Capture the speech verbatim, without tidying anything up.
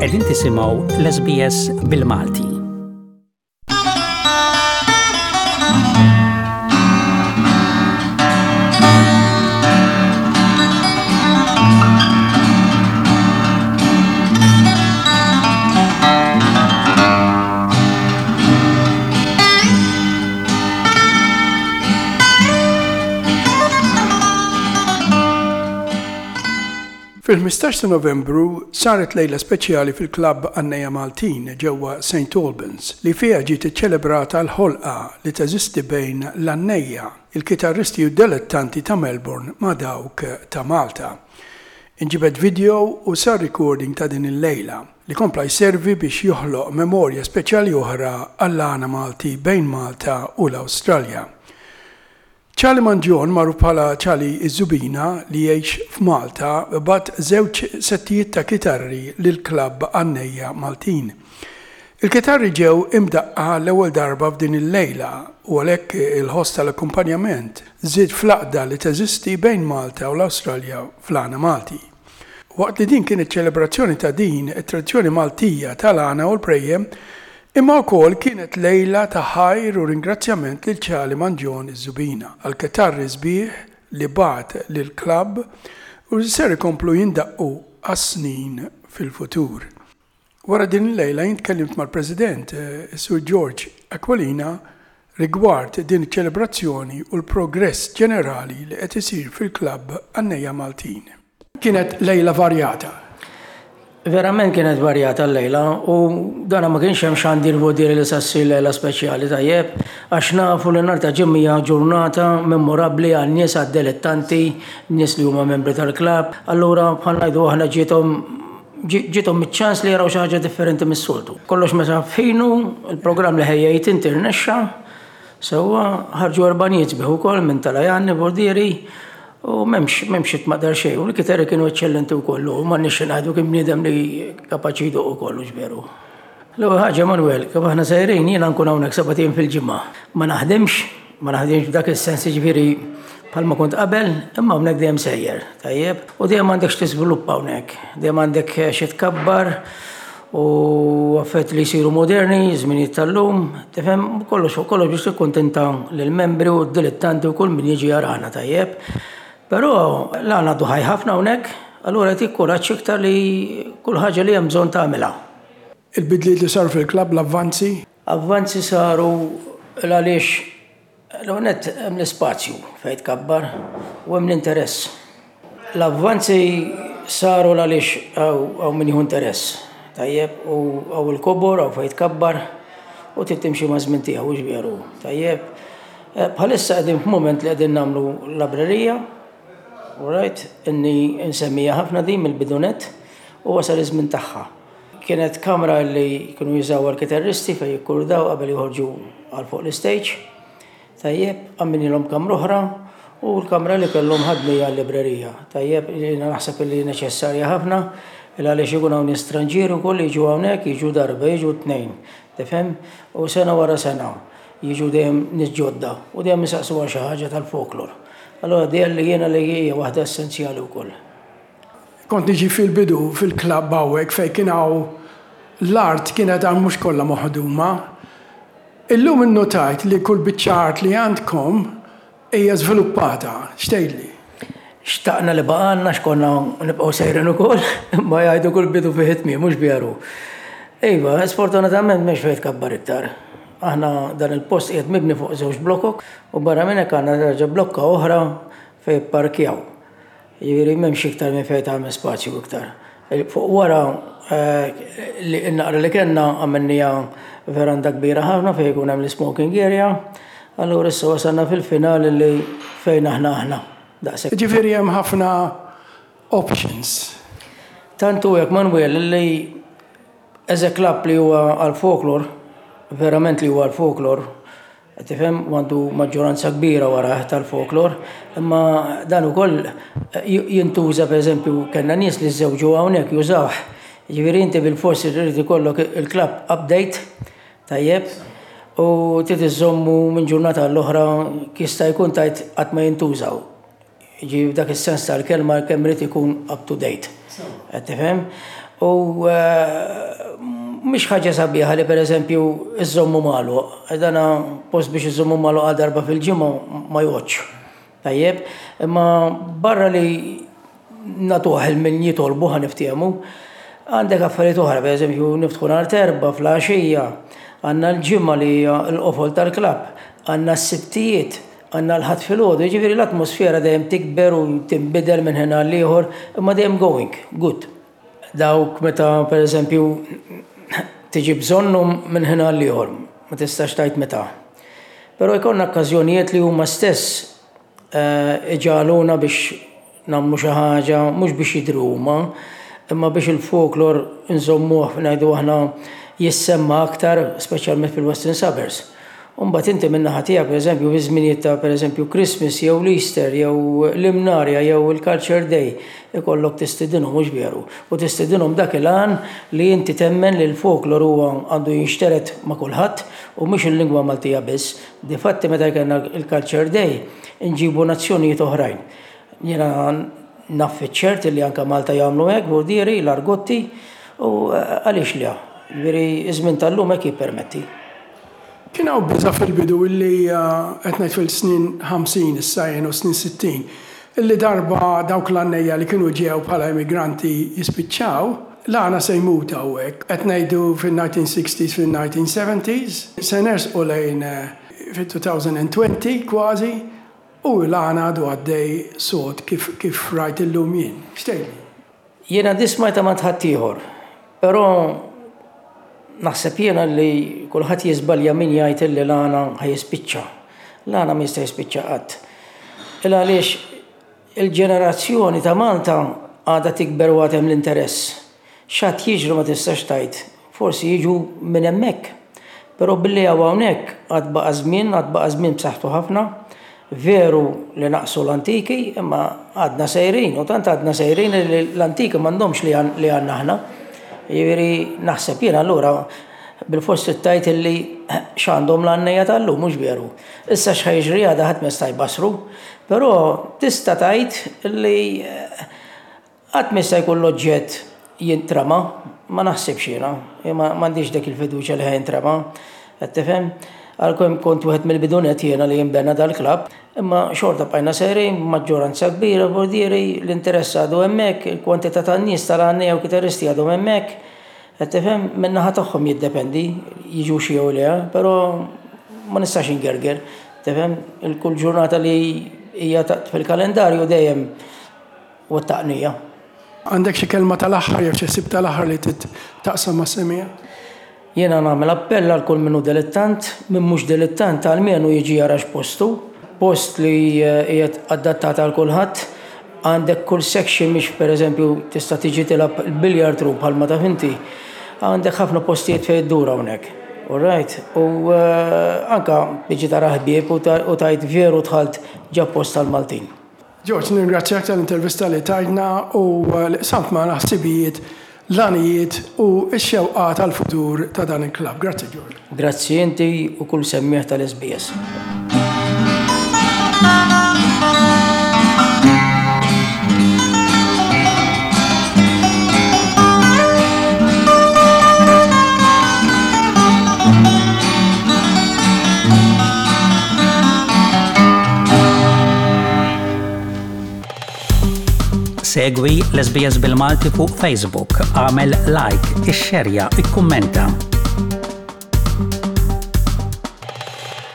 Qegħdin tisimgħu l-S B S bil-Malti. Fil-ħmistax ta' Novembru saret lejla speċjali fil-Klabb Għannejja Maltin ġewwa Saint Albans li fiha ġiet iċċelebrata l-ħolqa li teżisti bejn l-għannejja, il-kitarristi u dilettanti ta' Melbourne ma' dawk ta' Malta. Inġibed video u sar recording ta' din il-lejla li kompla jservi biex joħloq memorja speċjali oħra għall-għana Malti bejn Malta u l-Awstralja. Charlie Mangion, magħruf bħala Charlie Iż-Żubina, li jgħix f'Malta, bagħat żewġ settijiet ta' kitarri lil klabb Għannejja Maltin. Il-kitarri ġew imdaqqa l-ewwel darba f'din il-lejla u għalhekk il-ħoss tal-akkumpanjament żied fl-għaqda li teżisti bejn Malta u l-Awstralja fl-għana Malti. Waqt li din kienet ċelebrazzjoni ta' din it-tradizzjoni Maltija tal-għana u l-prejjem, imma wkoll kienet lejla ta' ħajr u ringrazzjament lil Charlie Mangion iż-Żubina għal kitarri sbieħ li bagħat lil klabb u li ser ikomplu jindaqqu għas-snin fil-futur. Wara din il-lejla jien tkellimt mal-President, eh, Sur George Aquilina, rigward din iċ-ċelebrazzjoni u l-progress ġenerali li qed isir fil-klabb Għannejja Maltin. Kienet lejla varjata. Verament kienet varjata l-lejla u dana ma kienx hemm xandir vodiri li sa ssir lejla speċjali, tajjeb, għax nafu li nhar ta' Ġimgħa ġurnata memorabbli għal nies, għad dilettanti, nies li huma membri tal-klabb. Allura, bħal ngħidu aħna, ġiethom ġiethom iċ-ċans li jaraw xi ħaġa differenti mis-soltu. Kollox meta f'ħinu, il-programm li ħejjejt inti rnexxa, sewwa ħarġu erbanijiet sbieħ ukoll minn Talajanni Bordieri u m'hemmx m'hemmx itmaqdar xejn, u l-kitarri kienu eċċellenti wkoll, u m'għandniex ngħidu, kien bniedem li kapaċi jdoqq ukoll, veru. L-ewwel ħaġa, Manuel, kif aħna sejrin, jiena nkun hawnhekk sebat ijiem fil-ġimgħa. Ma naħdimx, ma naħdimx b'dak is-sens, ġifieri bħalma kont qabel, imma hawnhekk dejjem sejjer, tajjeb, u dejjem għandek x'tiżviluppa hawnhekk, dejjem għandek xi tkabbar u affett li jsiru moderni, żminijiet tal-lum, tifhem, kollox fuq kollox biex tikkuntenta lill-membri u d-dilettanti u kull min jiġi jarana, tajjeb. Però l-għana għadu ħaj ħafna hawnhekk, allura jtik kuraġġ iktar li kull ħaġa li hemm bżonn tagħmilha. Il-bidliet li saru fil-klabb, l-avvanzi? Avvanzi saru għaliex l-għonet hemm l-ispazju fejn tkabbar u hemm l-interess. L-avvanzi saru għaliex hawn min jieħu interess. Tajjeb, u hawn il-kobor, hawn fejn tkabbar u trid timxi ma' żmien tiegħu, hux veru? Tajjeb. Bħalissa qegħdin f'mument li qegħdin nagħmlu librerija, right, inni nsemmija ħafna din mill-bidu nett u wasal iż-żmien tagħha. Kienet kamra li kienu jużaw għal-kitarristi fejn jikkurdaw qabel joħorġu għal fuq l-stage. Tajjeb, għamilnilhom kamra oħra u l-kamra li kellhom ħadnija għal-librerija. Tajjeb, jiena naħseb li neċessarja ħafna, il għaliex ikun hawn stranġieri wkoll jiġu hawnhekk, jiġu darba, jiġu tnejn. Tifhem? U sena wara sena jiġu dejjem nies ġodda u dejjem jisaqsu għal xi ħaġa tal-folklor. Allora dejjem li jiena li hija waħda essenzjali wkoll. Kont niġi fil-bidu fil-klabb hawnhekk fejn kien hawn l-art, kienet għal mhux kollha moħduma. Illum innotajt li kull biċċa art li għandkom hija żviluppata. X'tgħidli? Xtaqna li baqgħalna x'konna nibqgħu sejrin ukoll, ma jgħidu kull bidu fih tmiem, mhux veru? Iva, sfortunatament m'hemmx fejn tkabbar iktar. Aħna dan il-post qiegħed mibni fuq żewġ blokok u barra minn hekk għandna terġa' blokka oħra fejn parkjaw. Jiġifieri m'hemmx iktar minn fejn tagħmel spazju iktar. Fuq wara li naqra li kellna għamilniha veranda kbira ħafna fejn jkun hemm l-smoking area. Allura issa wasalna fil-finali li fejn aħna aħna. Daqshekk. Ġifieri hemm ħafna options. Tantu hekk, Manuel, li as a club li huwa għal-folklor, verament li huwa għal-folklor, tifhem, għandu maġġoranza kbira wara tal-folklor, imma dan ukoll jintuża. Per eżempju, kellna nies li żewġu hawnhekk jużawh. Ġifieri inti bil-forsi trid ikollok il-club update, tajjeb, u trid iżommu minn ġurnata l-oħra jista' jkun tajt qatt ma jintużaw. Ġi dak is-sens tal-kelma kemm irid ikun up to date. Qed tifhem? U mhix ħaġa sabiħa li pereżempju iżommu magħluq. Dana post biex iżommu magħluq għal darba fil-ġimgħa ma joqgħodx. Tajjeb, imma barra li nagħtuh lil min jitolbu, ħa niftehmu, għandek affarijiet oħra, pereżempju niftħu nhar t'Erbgħa filgħaxija, għandna l-Ġimgħa li hija l-qofol tal-klabb, għandna s-Sibtijiet, għandna l-Ħadd filgħodu, jiġifieri l-atmosfera dejjem tikber u tinbidel minn ħin għal ieħor, imma dejjem going, good. Dawk meta pereżempju tiġi bżonnhom minn ħin għal ieħor, ma tistax tgħid meta. Però jkollna okkażjonijiet li huma stess iġagħluna biex nagħmlu xi ħaġa, mhux biex jidhru huma, imma biex il-folklor nżommuh, ngħidu aħna, jissemma aktar, speċjalment fil-Western Suburbs. U mbagħad inti min-naħa tiegħek, pereżempju, fi żminijiet ta' pereżempju Christmas jew l-Easter jew l-Imnarja jew il-Culture Day, ikollok tistidinhom, mhux veru? U tistidinhom dak il-għan li inti temmen li l-folklor huwa għandu jinxtered ma' kulħadd u mhux il-lingwa Maltija biss. Difatti meta kellna il-Culture Day nġibu nazzjonijiet oħrajn. Jiena naf ċert li anke Malta jagħmlu hekk, bordieri, l-Argotti, u għaliex le? Ġifieri iż-żmien tal-lum hekk jippermetti. Kien hawn biża' fil-bidu illi qed ngħid fil-snin ħamsin issa jien u snin sittin, illi darba dawk l-għannejja li kienu ġew bħala immigranti jispiċċaw, l-għana se jmut hawnhekk. Qed ngħidu fin-nineteen sixties, fin-nineteen seventies, se nersqu lejn fit-twenty twenty kważi, u l-għana għadu għaddej sod kif, kif rajt illum jien. X'tgħidli? Jiena din smajtha ma' ħaddieħor, però naħseb jiena li kulħadd jiżbalja min jgħid li l-għana ħa jispiċċa. L-għana ma jista' jispiċċa qatt. Il għaliex il-ġenerazzjoni ta' Malta għadha tikber u għad hemm l-interess. X'għad jiġru ma tistax tgħid. Forsi jiġu minn hemmhekk. Però billi hawn hawnhekk għad baqa' żmien, għad baqa' żmien b'saħħtu ħafna. Veru li naqsu l-antiki, imma għadna sejrin, u tant għadna sejrin li l-antiki m'għandhomx li għandna aħna. Jiġifieri naħseb jiena allura bil-fost tgħid illi x'għandhom l-għannejja tal-lum, mhux veru? Issa x'ħa jiġri għada ħadd ma jista' jbassru, però tista' tgħid illi qatt ma jista' jkun l-oġġett jintrama, ma naħsibx jiena, m'għandix dik il-fiduċja li ħa jintrama, qed tifhem? Għalkemm kont wieħed mill-bidu nett jiena li jinbena dal-klabb, imma xorta bqajna sejrin, maġġoranza kbira, bordieri, l-interess għadu hemmhekk, il-kwantità tan-nies tal-għannejja u kitarristi għadhom hemmhekk, qed tifhem? Min-naħa tagħhom jiddependi, jiġu xi jew le, però ma nistax ingerger, tifhem? Il-kull ġurnata li hija fil-kalendarju dejjem wettaqnija. Għandek xi kelma tal-aħħar jew xi ħsieb tal-aħħar li taqsam mas-semmiegħa? Jiena nagħmel appell għal kull min hu dilettant, min mhux dilettant almenu jiġi jara x'postu, post li qiegħed adattat għal kulħadd, għandek kull section, mhix pereżempju tista' tiġi tilgħab il-billiard room bħalma taf inti. Għandek ħafna postijiet fejn iddur hawnhekk. All right? U anka tiġi tara ħbieb u tgħid veru dħalt ġa post tal-Maltin. George, nirringrazzjak tal-intervista li tajtna u li qsamt magħna ħsibijiet, l-għanijiet u x-xewqa tal-futur ta' dan il-klabb. Grazzi, George. Grazzi inti u kull semmiegħ tal-S B S. Segwi l-S B S bil-Malti fuq Facebook, agħmel like, ixxerja, ikkummenta.